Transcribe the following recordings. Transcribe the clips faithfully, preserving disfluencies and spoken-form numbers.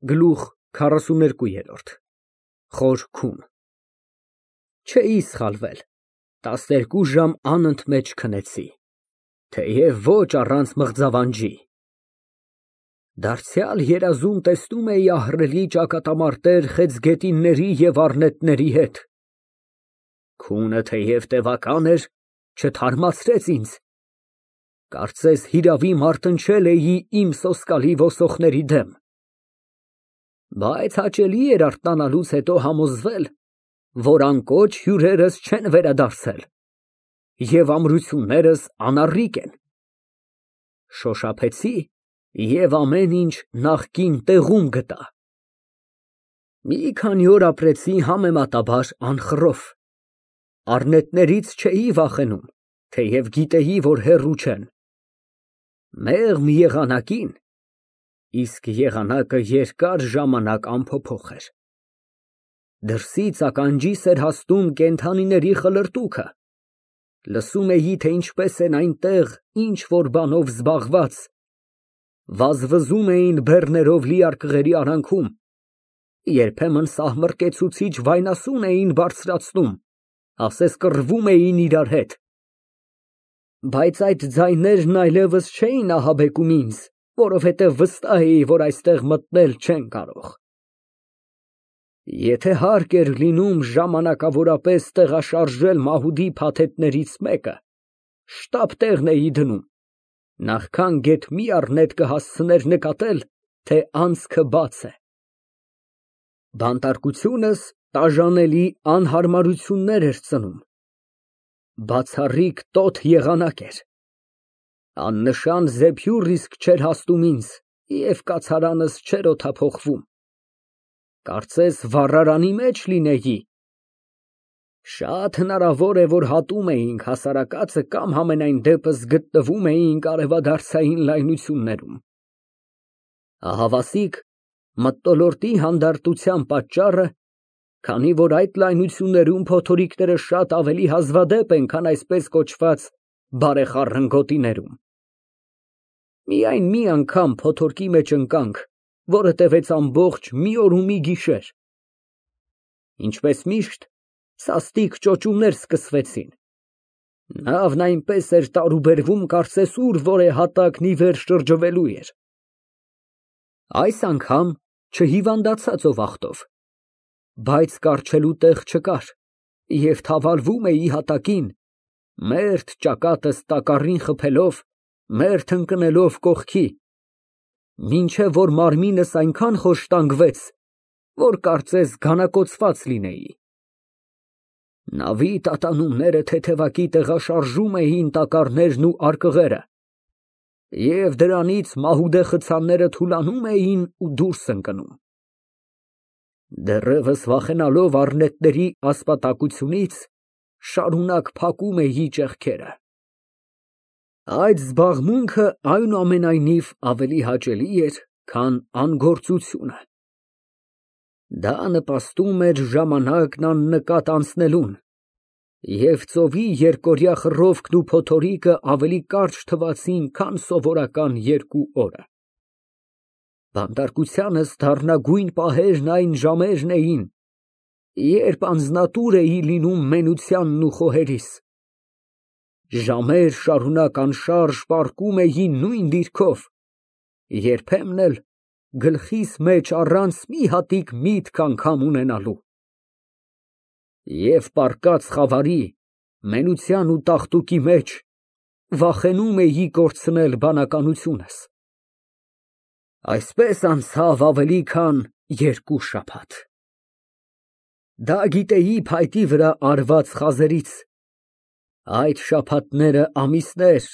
Գլուխ քառասուներկու Խոր քուն Չէի սխալվել, տասներկու ժամ անընդմեջ քնեցի, թեև ոչ առանց մղձավանջի։ Դարձյալ երազում տեսնում էի ահռելի ճակատամարտեր խեցգետինների և առնետների հետ։ Քունը թեև տևական էր, չթարմացրեց ինձ, կարծես հիրավի մարտնչել էի իմ սոսկալի ոսոխների դեմ։ Բայց հաճելի էր արթնանալուց հետո համոզվել, որ անկոչ հյուրերս չեն վերադարձել, և ամրություններս անառիկ են։ Շոշափեցի և ամեն ինչ նախկին տեղում գտա։ Մի քանի օր ապրեցի համեմատաբար անխռով, առնետներից չէի վախենում, թեև գիտեի, որ հեռու չեն։ Մեղմ եղանակին, իսկ եղանակը երկար ժամանակ անփոփոխ էր, դրսից ականջիս էր հասնում կենդանիների խլրտուքը, լսում էի, թե ինչպես են այնտեղ ինչ֊որ բանով զբաղված, վազվզում էին բեռներով լի արկղերի արանքում, երբեմն սահմռկեցուցիչ վայնասուն էին բարձրացնում, ասես կռվում էին իրար հետ։ Բայց այդ ձայներն այլևս չէին ահաբեկում ինձ, որովհետև վստահ էի, որ այստեղ մտնել չեն կարող։ Եթե հարկ էր լինում ժամանակավորապես տեղաշարժել մահուդի փաթեթներից մեկը, շտապ տեղն էի դնում, նախքան գեթ մի առնետ կհասցներ նկատել, թե անցքը բաց է։ Բանտարկությունս տաժանելի անհարմարություններ էր ծնում, բացառիկ տոթ եղանակ էր, աննշան զեփյուռ իսկ չէր հասնում ինձ և կացարանս չէր օդափոխվում, կարծես վառարանի մեջ լինեի։ Շատ հնարավոր է, որ հատում էինք հասարակածը կամ համենայն դեպս գտնվում էինք արևադարձային լայնություններում։ Ահավասիկ մթնոլորտի հանդարտության պատճառը, քանի որ այդ լայնություններում փոթորիկները շատ ավելի հազվադեպ են, քան այսպես կոչված բարեխառն գոտիներում։ Միայն մի անգամ փոթորկի մեջ ընկանք, որը տևեց ամբողջ մի օր ու մի գիշեր։ Ինչպես միշտ, սաստիկ ճոճումներ սկսվեցին։ Նավն այնպես էր տարուբերվում, կարծես ուր որ է հատակն ի վեր շրջվելու էր։ Այս անգամ չհիվանդացա ծովախտով, բայց կառչելու տեղ չկար, և թավալվում էի հատակին, մերթ ճակատս տակառին խփելով, մերթ ընկնելով կողքի, մինչև որ մարմինս այնքան խոշտանգվեց, որ կարծես գանակոծված լինեի։ Նավի տատանումները թեթևակի տեղաշարժում էին տակառներն ու արկղերը, և դրանից մահուդե խցանները թուլանում էին ու դուրս ընկնում։ Դեռևս վախենալով առնետների ասպատակությունից, շարունակ փակում էի ճեղքերը։ Այդ զբաղմունքը այնուամենայնիվ ավելի հաճելի էր, քան անգործությունը։ Դա նպաստում էր ժամանակն աննկատ անցնելուն, և ծովի երկօրյա խռովքն ու փոթորիկը ավելի կարճ թվացին, քան սովորական երկու օրը։ Բանտարկությանս դառնագույն պահերն այն ժամերն էին, երբ անձնատուր էի լինում մենությանն ու խոհերիս, ժամեր շարունակ անշարժ պառկում էի նույն դիրքով, երբեմն էլ գլխիս մեջ առանց մի հատիկ միտք անգամ ունենալու։ Եվ պառկած խավարի, մենության ու տաղտուկի մեջ վախենում էի կորցնել բանականությունս։ Այսպես անցավ ավելի քան երկու շաբաթ։ Դա գիտեի փայտի վրա արված խազերից, այդ շաբաթները ամիսներ,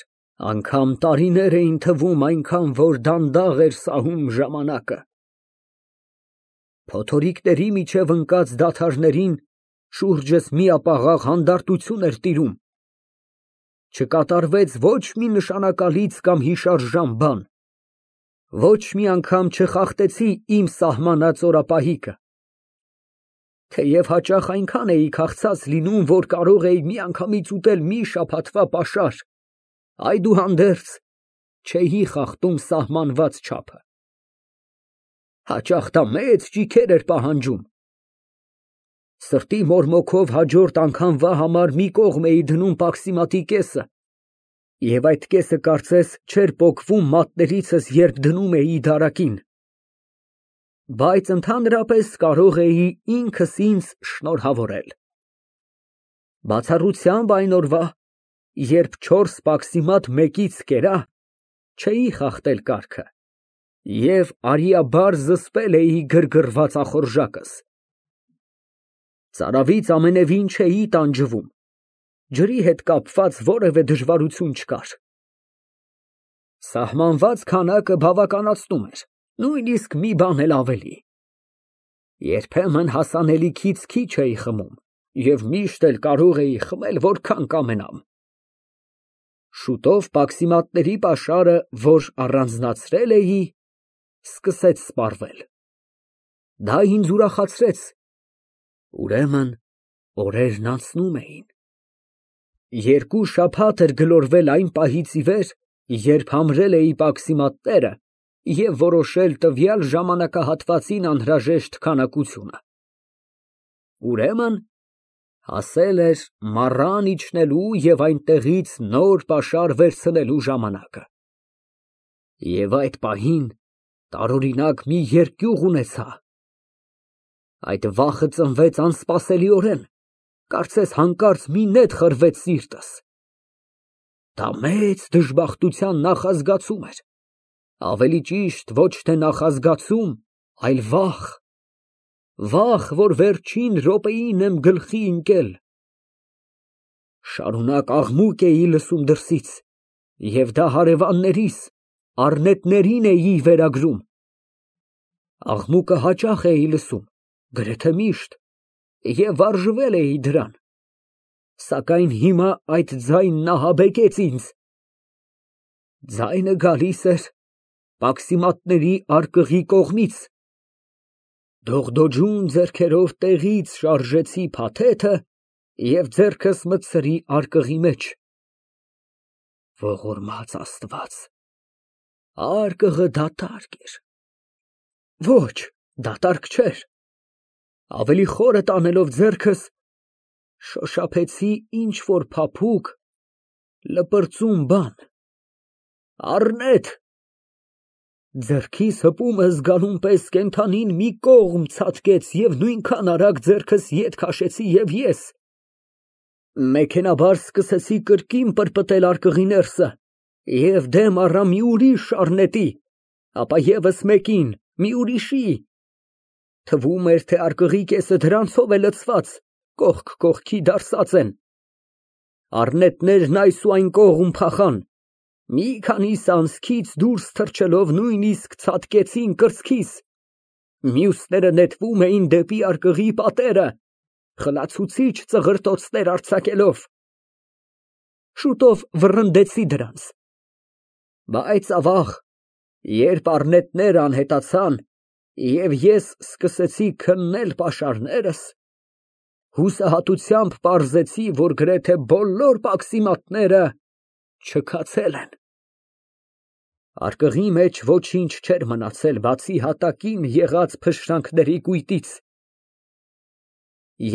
անգամ տարիներ էին թվում, այնքան որ դանդաղ էր սահում ժամանակը։ Փոթորիկների միջև ընկած դադարներին շուրջս միապաղաղ հանդարտություն էր տիրում։ Չկատարվեց ոչ մի նշանակալից կամ հիշարժան բան, ոչ մի անգամ չխախտեցի իմ սահմանած օրապահիկը։ Թեև հաճախ այնքան էի քաղցած լինում, որ կարող էի միանգամից ուտել մի շաբաթվա պաշար, այդուհանդերձ չէի խախտում սահմանված չափը։ Հաճախ դա մեծ ճիգեր էր պահանջում։ Սրտի մորմոքով հաջորդ անգամվա համար մի կողմ էի դնում պաքսիմատի կեսը, և այդ կեսը կարծես չէր պոկվում մատներիցս, երբ դնում էի դարակին։ Բայց ընդհանրապես կարող էի ինքս ինձ շնորհավորել։ Բացառությամբ այն օրվա, երբ չորս պաքսիմատ մեկից կերա, չէի խախտել կարգը և արիաբար զսպել էի գրգռված ախորժակս։ Ծարավից ամենևին չէի տանջվում, ջրի հետ կապված որևէ դժվարություն չկար։ Սահմանված քանակը բավականացնում էր, նույնիսկ մի բան էլ ավելի։ Երբեմն հասանելիքից քիչ էի խմում և միշտ էլ կարող էի խմել որքան կամենամ։ Շուտով պաքսիմատների պաշարը, որ առանձնացրել էի, սկսեց սպառվել։ Դա ինձ ուրախացրեց։ Ուրեմն օրերն անցնում էին։ Երկու շաբաթ էր գլորվել այն պահից ի վեր, երբ համրել էի պաքսիմատները և որոշել տվյալ ժամանակահատվածին անհրաժեշտ քանակությունը։ Ուրեմն հասել էր մառան իջնելու և այնտեղից նոր պաշար վերցնելու ժամանակը։ Եվ այդ պահին տարօրինակ մի երկյուղ ունեցա։ Այդ վախը ծնվեց անսպասելիորեն, կարծես հանկարծ մի նետ խրվեց սիրտս։ Դա մեծ դժբախտության նախազգացում էր, ավելի ճիշտ ոչ թե նախազգացում, այլ վախ, վախ, որ վերջին րոպեին եմ գլխի ընկել։ Շարունակ աղմուկ էի լսում դրսից, և դա հարևաններիս, առնետներին էի վերագրում։ Աղմուկը հաճախ էի լսում, գրեթե միշտ, և վարժվել էի դրան, սակայն հիմա այդ ձայնն ահաբեկեց ինձ։ Ձայնը գալիս էր պաքսիմատների արկղի կողմից։ Դողդոջուն ձեռքերով տեղից շարժեցի փաթեթը և ձեռքս մտցրի արկղի մեջ։ Ողորմած Աստված, արկղը դատարկ էր։ Ոչ, դատարկ չէր։ Ավելի խորը տանելով ձեռքս, շոշափեցի ինչ֊որ փափուկ, լպրծուն բան։ Առնետ։ Ձեռքիս հպումը զգալուն պես կենդանին մի կողմ ցատկեց և նույնքան արագ ձեռքս ետ քաշեցի և ես։ Մեքենայաբար սկսեցի կրկին պրպտել արկղի ներսը և դեմ առա մի ուրիշ առնետի, ապա ևս մեկին, մի ուրիշի։ Թվում էր, թե արկղի կեսը դրանցով է լցված, կողք կողքի դարսած են։ Առնետներն այս ու այն կողմ փախան, մի քանիս անցքից դուրս թռչելով նույնիսկ ցատկեցին կրծքիս, մյուսները նետվում էին դեպի արկղի պատերը, խլացուցիչ ծղրտոցներ արձակելով։ Շուտով վռնդեցի դրանց։ Բայց ավաղ, երբ առնետները անհետացան և ես սկսեցի քննել պաշարներս, հուսահատությամբ պարզեցի, որ գրեթե բոլոր պաքսիմատները չքացել են։ Արկղի մեջ ոչինչ չէր մնացել, բացի հատակին եղած փշրանքների կույտից։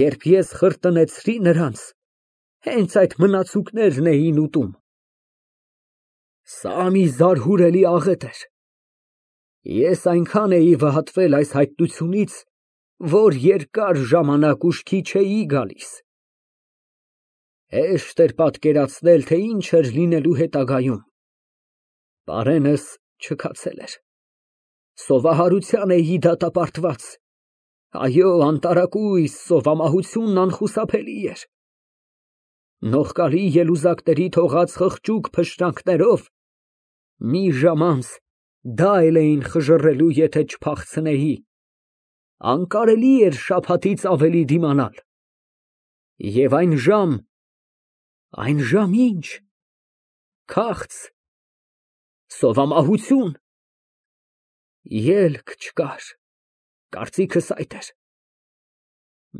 Երբ ես խրտնեցրի նրանց, հենց այդ մնացուկներն էին ուտում։ Սա մի զարհուրելի աղետ էր։ Ես այնքան էի վհատվել այս հայտնությունից, որ երկար ժամանակ ուշքի չէի գալիս։ Հեշտ էր պատկերացնել, թե ինչ էր լինելու հետագայում։ Պարենս չքացել էր։ Սովահարության էի դատապարտված։ Այո, անտարակույս սովամահությունն անխուսափելի էր։ Նողկալի ելուզակների թողած խղճուկ փշրանքներով մի ժամ անց դա էլ էին խժռելու, եթե չփախցնեի։ Անկարելի էր շաբաթից ավելի դիմանալ։ Եվ այն ժամ, այն ժամ ի՞նչ։ Քաղց, սովամահություն։ Ելք չկար, կարծիքս այդ էր։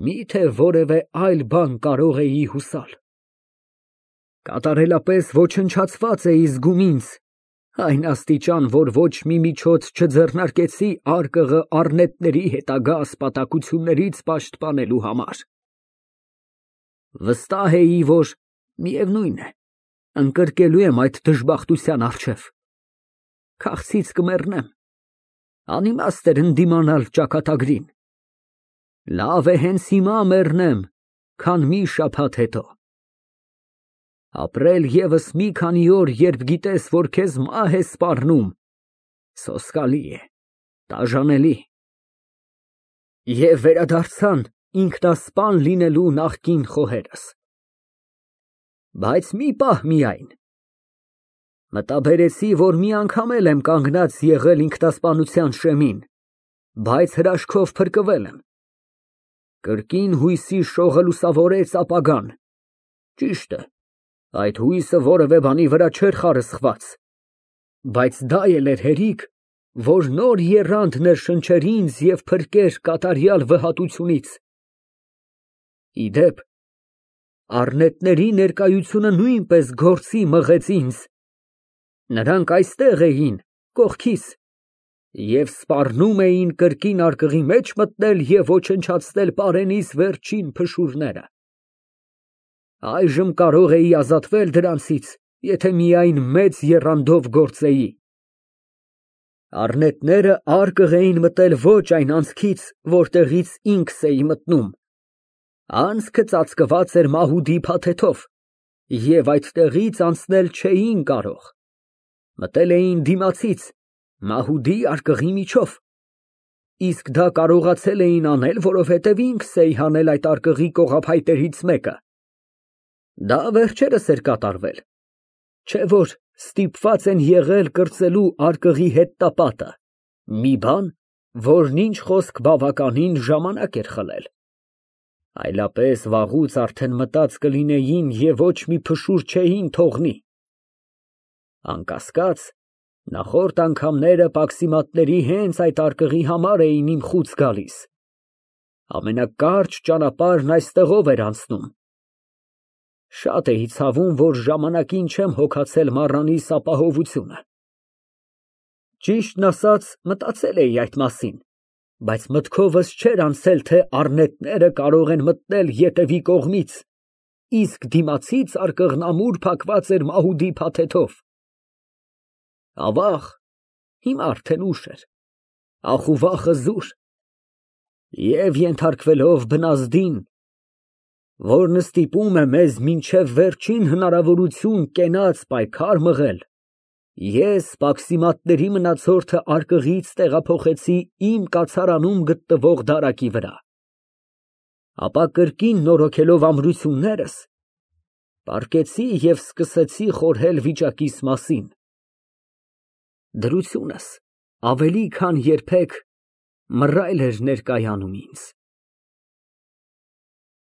Մի՞թե որևէ այլ բան կարող էի հուսալ։ Կատարելապես ոչնչացված էի զգում ինձ, Այն աստիճան, որ ոչ մի միջոց չձեռնարկեցի արկղը առնետների հետագա ասպատակություններից պաշտպանելու համար։ Վստահ էի, որ միևնույն է, ընկրկելու եմ այդ դժբախտության առջև, քաղցից կմեռնեմ, անիմաստ էր ընդդիմանալ ճակատագրին, լավ է հենց հիմա մեռնեմ, քան մի շաբաթ հետո։ Ապրել ևս մի քանի օր, երբ գիտես, որ քեզ մահ է սպառնում, սոսկալի է, տաժանելի։ Եվ վերադարձան ինքնասպան լինելու նախկին խոհերս։ Բայց մի պահ միայն։ Մտաբերեցի, որ մի անգամ էլ եմ կանգնած եղել ինքնասպանության շեմին, բայց հրաշքով փրկվել եմ։ Կրկին հույսի շողը լուսավորեց ապագան։ Ճիշտ է, այդ հույսը որևէ բանի վրա չէր խարսխված, բայց դա էլ էր հերիք, որ նոր եռանդ ներշնչեր ինձ և փրկեր կատարյալ վհատությունից։ Ի դեպ, առնետների ներկայությունը նույնպես գործի մղեց ինձ։ Նրանք այստեղ էին, կողքիս, և սպառնում էին կրկին արկղի մեջ մտնել և ոչնչացնել պարենիս վերջին փշուրները։ Այժմ կարող էի ազատվել դրանցից, եթե միայն մեծ եռանդով գործեի։ Առնետները արկղ էին մտել ոչ այն անցքից, որտեղից ինքս էի մտնում։ Անցքը ծածկված էր մահուդի փաթեթով, և այդտեղից անցնել չէին կարող։ Մտել էին դիմացից, մահուդի արկղի միջով։ Իսկ դա կարողացել էին անել, որովհետև ինքս էի հանել այդ արկղի կողափայտերից մեկը։ Դա վերջերս էր կատարվել, չէ՞ որ ստիպված են եղել կրծելու արկղի հետտապատը, մի բան, որն ինչ խոսք բավականին ժամանակ էր խլել։ Այլապես վաղուց արդեն մտած կլինեին և ոչ մի փշուր չէին թողնի։ Անկասկած, նախորդ անգամները պաքսիմատների հենց այդ արկղի համար էին իմ խուց գալիս։ Ամենակարճ ճանապարհն այստեղով էր անցնում։ Շատ էի ցավում, որ ժամանակին չեմ հոգացել մառանիս ապահովությունը։ Ճիշտն ասած, մտածել էի այդ մասին, բայց մտքովս չէր անցել, թե առնետները կարող են մտնել ետևի կողմից, իսկ դիմացից արկղն ամուր փակված էր մահուդի փաթեթով։ Ավաղ, հիմա արդեն ուշ էր, ախուվախը զուր, և ենթարկվելով բնազդին, որն ստիպում է մեզ մինչև վերջին հնարավորություն կենաց պայքար մղել, ես պաքսիմատների մնացորդը արկղից տեղափոխեցի իմ կացարանում գտնվող դարակի վրա, ապա կրկին նորոգելով ամրություններս, պառկեցի և սկսեցի խորհել վիճակիս մասին։ Դրությունս ավելի քան երբեք մռայլ էր ներկայանում ինձ։